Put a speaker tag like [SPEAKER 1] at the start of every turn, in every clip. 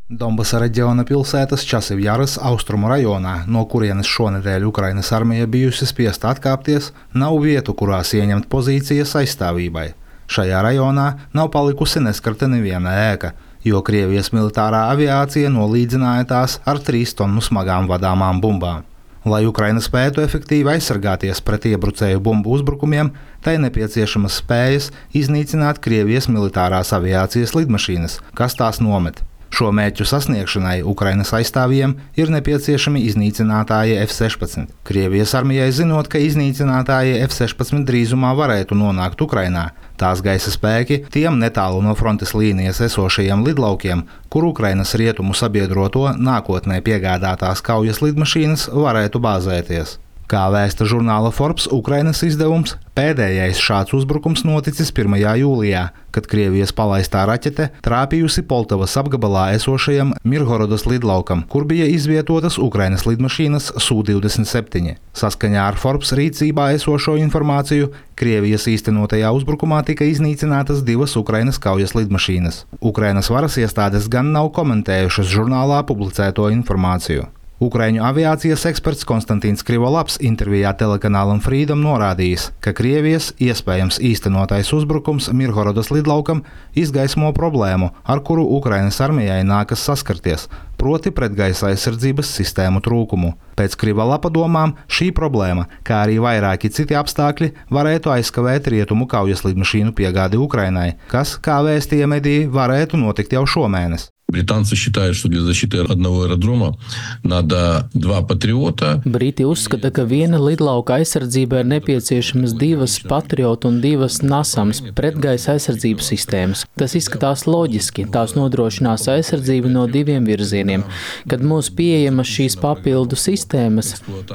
[SPEAKER 1] Donbasa reģiona pilsētas Časivjaras austrumu rajonā, no kurienes šonedēļ Ukrainas armija bijusi spiesta atkāpties, nav vietu, kurās ieņemt pozīcijas aizstāvībai. Šajā rajonā nav palikusi neskarta neviena ēka, jo Krievijas militārā aviācija nolīdzināja tās ar 3 tonu smagām vadāmām bumbām. Lai Ukraina spētu efektīvi aizsargāties pret iebrucēju bumbu uzbrukumiem, tai nepieciešamas spējas iznīcināt Krievijas militārās aviācijas lidmašīnas, kas tās nomet. Šo mērķu sasniegšanai Ukrainas aizstāvjiem ir nepieciešami iznīcinātāji F-16. Krievijas armijai zinot, ka iznīcinātāji F-16 drīzumā varētu nonākt Ukrainā, tās gaisa spēki tiem netālu no frontes līnijas esošajiem lidlaukiem, kur Ukrainas rietumu sabiedroto nākotnē piegādātās kaujas lidmašīnas varētu bāzēties. Kā vēsta žurnāla Forbes Ukrainas izdevums, pēdējais šāds uzbrukums noticis 1. jūlijā, kad Krievijas palaistā raķete trāpījusi Poltavas apgabalā esošajam Mirhorodas lidlaukam, kur bija izvietotas Ukrainas lidmašīnas Su-27. Saskaņā ar Forbes rīcībā esošo informāciju, Krievijas īstenotajā uzbrukumā tika iznīcinātas 2 Ukrainas kaujas lidmašīnas. Ukrainas varas iestādes gan nav komentējušas žurnālā publicēto informāciju. Ukraiņu aviācijas eksperts Konstantīns Krivolaps intervijā telekanālam Freedom norādījis, ka Krievijas iespējams īstenotais uzbrukums Mirhorodas lidlaukam izgaismo problēmu, ar kuru Ukrainas armijai nākas saskarties, proti pretgaisa aizsardzības sistēmu trūkumu. Pēc Krivolapa domām šī problēma, kā arī vairāki citi apstākļi, varētu aizkavēt rietumu kaujas lidmašīnu piegādi Ukrainai, kas, kā vēstīja mediji, varētu notikt jau šomēnes.
[SPEAKER 2] Британцы считают, что для защиты одного аэродрома надо 2 патриота.
[SPEAKER 3] Briti uzskata, ka viena lidlauka aizsardzībai ir nepieciešamas 2 patriotu un 2 NASAMS pretgaisa aizsardzības sistēmas. Tas izskatās loģiski, tās nodrošinās aizsardzību no 2 virzieniem. Kad mums pieejamas šīs papildu sistēmas,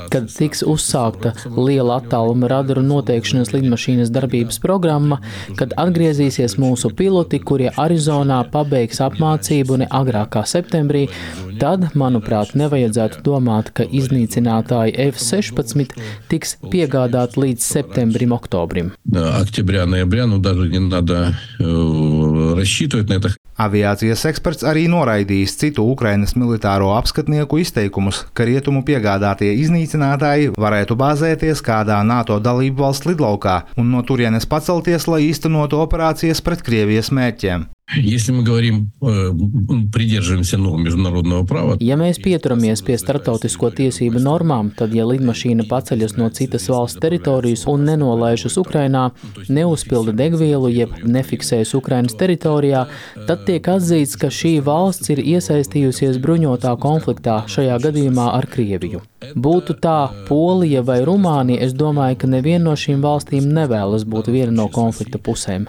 [SPEAKER 3] kad tiks uzsākta liela attāluma radaru noteikšanas lidmašīnas darbības programma, kad atgriezīsies mūsu piloti, kurie Arizonā pabeigs apmācību agrāk kā septembrī, tad, manuprāt, nevajadzētu domāt, ka iznīcinātāji F-16 tiks piegādāti līdz septembrim, oktobrim.
[SPEAKER 2] Октября-ноября, даже не надо рассчитывать на это.
[SPEAKER 1] Aviācijas eksperts arī noraidījis citu Ukrainas militāro apskatnieku izteikumus, ka rietumu piegādātie iznīcinātāji varētu bāzēties kādā NATO dalību valsts lidlaukā un no turienes pacelties, lai īstenotu operācijas pret Krievijas mērķiem.
[SPEAKER 2] Если мы говорим, придерживаемся норм международного права.
[SPEAKER 3] Ja mēs pieturamies pie starptautisko tiesību normām, tad, ja lidmašīna paceļas no citas valsts teritorijas un nenolaižas Ukrainā, neuzpilda degvielu, jeb nefiksējas Ukrainas teritorijā, tad tiek atzīts, ka šī valsts ir iesaistījusies bruņotā konfliktā, šajā gadījumā ar Krieviju. Būtu tā Polija vai Rumānija, es domāju, ka neviena no šīm valstīm nevēlas būt viena no konflikta pusēm.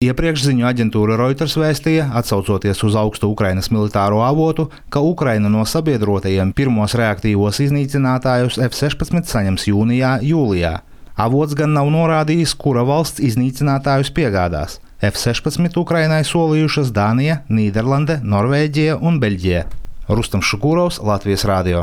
[SPEAKER 1] Iepriekš ziņu aģentūra Reuters vēstīja, atsaucoties uz augstu Ukrainas militāro avotu, ka Ukraina no sabiedrotajiem pirmos reaktīvos iznīcinātājus F-16 saņems jūnijā, jūlijā. Avots gan nav norādījis, kura valsts iznīcinātājus piegādās. F-16 Ukrainai solījušas Dānija, Nīderlande, Norvēģija un Beļģija. Rustam Šukurovs, Latvijas radio.